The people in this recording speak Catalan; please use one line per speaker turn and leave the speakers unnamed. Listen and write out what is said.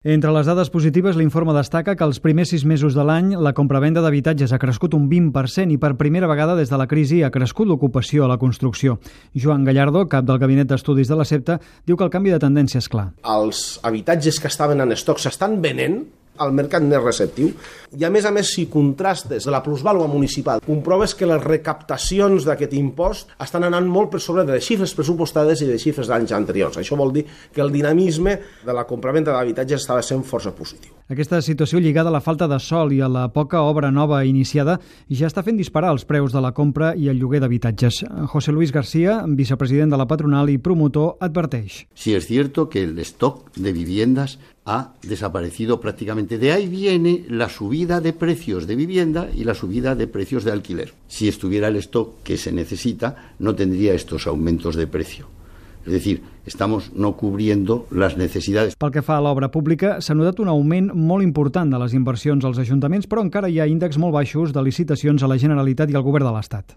Entre les dades positives, l'informe destaca que els primers 6 mesos de l'any la compravenda d'habitatges ha crescut un 20% i per primera vegada des de la crisi ha crescut l'ocupació a la construcció. Joan Gallardo, cap del Gabinet d'Estudis de la SEPTA, diu que el canvi de tendència és clar.
Els habitatges que estaven en estoc s'estan venent, el mercat més receptiu, i a més, si contrastes de la plusvàlua municipal, comproves que les recaptacions d'aquest impost estan anant molt per sobre de les xifres pressupostades i de xifres d'anys anteriors. Això vol dir que el dinamisme de la compravenda d'habitatges estava sent força positiu.
Aquesta situació lligada a la falta de sòl i a la poca obra nova iniciada ja està fent disparar els preus de la compra i el lloguer d'habitatges. José Luis García, vicepresident de la patronal i promotor, adverteix.
Sí, es cierto que el stock de viviendas ha desaparecido prácticamente. De ahí viene la subida de precios de vivienda y la subida de precios de alquiler. Si estuviera el stock que se necesita, no tendría estos aumentos de precio. Es decir, estamos no cubriendo las necessitats.
Pel que fa a l'obra pública, s'ha notat un augment molt important de les inversions als ajuntaments, però encara hi ha índexs molt baixos de licitacions a la Generalitat i al Govern de l'Estat.